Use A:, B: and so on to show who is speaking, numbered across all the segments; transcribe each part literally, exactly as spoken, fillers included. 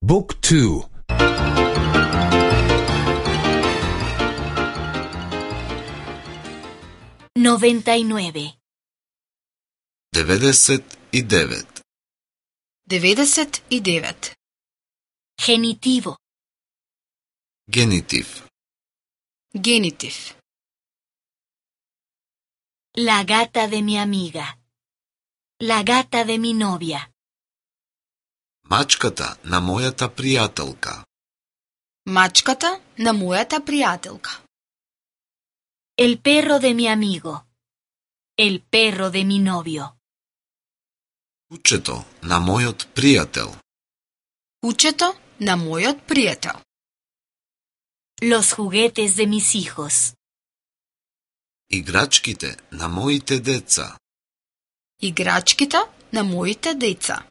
A: Book two.
B: noventa y nueve.
C: деветдесет и девет.
D: деветдесет и девет.
B: Genitivo.
C: Генитив.
D: Генитив.
B: La gata de mi amiga. La gata de mi novia.
C: Мачката на мојата пријателка.
D: Мачката на мојата пријателка.
B: El perro de mi amigo. El perro de mi novio.
C: Кучето на мојот пријател.
D: Кучето на мојот пријател.
B: Los juguetes de mis hijos.
C: Играчките на моите деца.
D: Играчките на моите деца.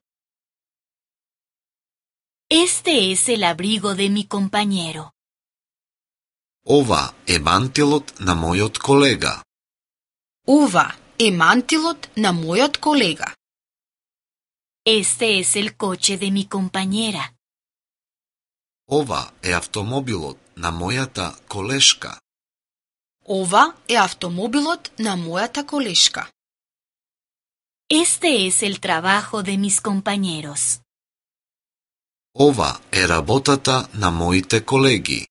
B: Este es el abrigo de mi compañero.
C: Ова е мантилот на мојот колега.
D: Ова е мантилот на мојот колега.
B: Este es el coche de mi compañera.
C: Ова е автомобилот на мојата колешка.
D: Ова е автомобилот на мојата колешка.
B: Este es el trabajo de mis compañeros.
C: Ова е работата на моите колеги.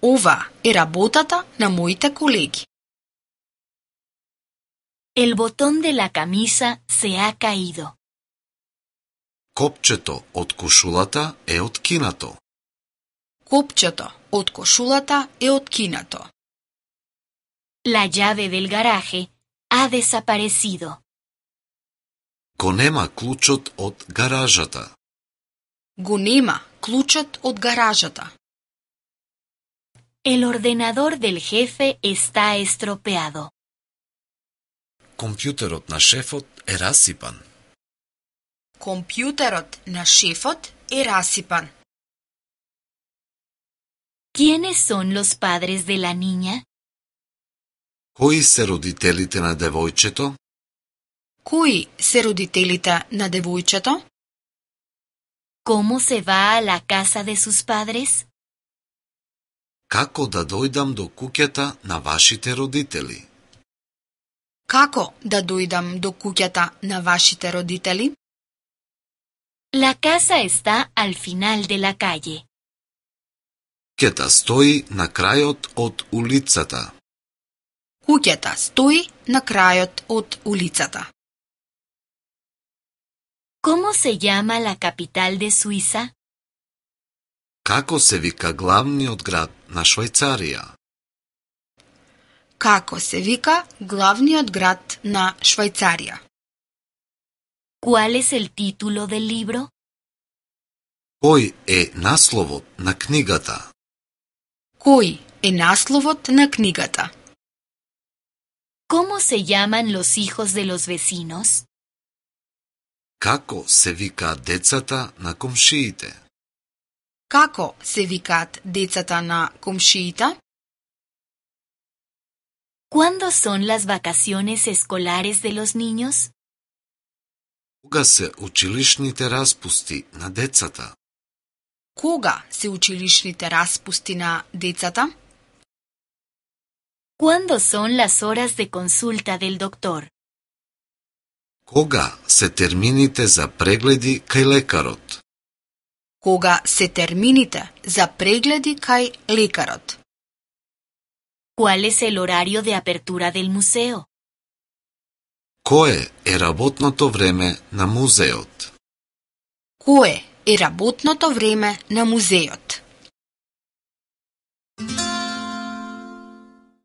D: Ова е работата на моите колеги.
B: El botón de la camisa se ha caído.
C: Копчето од кошулата е откинато.
D: Копчето од кошулата е откинато.
B: La llave del garaje ha desaparecido.
C: Го нема клучот од гаражата.
D: Го нема клучот од гаражата.
B: El ordenador del jefe está estropeado.
C: Компјутерот на шефот е расипан.
D: Компјутерот на шефот е расипан.
B: ¿Quiénes son los padres de la niña?
C: Кои се родителите на девојчето?
D: Кои се родителите на девојчето?
B: ¿Cómo se va a la casa de sus padres?
C: Како да дојдам до куќата на вашите родители?
D: Како да дојдам до куќата на вашите родители?
B: La casa está al final de la calle.
C: Куќата стои на крајот од улицата.
D: Куќата стои на крајот од улицата.
B: ¿Cómo se llama la capital de Suiza?
C: Како се вика главниот град на Швајцарија?
D: Како се вика главниот град на Швајцарија?
B: ¿Cuál es el título del libro?
C: Кој е насловот на книгата?
D: Кој е насловот на книгата?
B: ¿Cómo se llaman los hijos de los vecinos?
C: Како се викаат децата на комшиите?
D: Како се викаат децата на комшиите?
B: ¿Cuándo son las vacaciones escolares de los niños?
C: Кога се училишните распусти на децата?
D: Кога се училишните распусти на децата?
B: ¿Cuándo son las horas de consulta del doctor?
C: Кога се термините за прегледи кај лекарот?
D: Кога се термините за прегледи кај лекарот?
B: ¿Cuál es el horario de apertura del museo?
C: Кое е работното време на музеот?
D: Кое е работното време на музеот?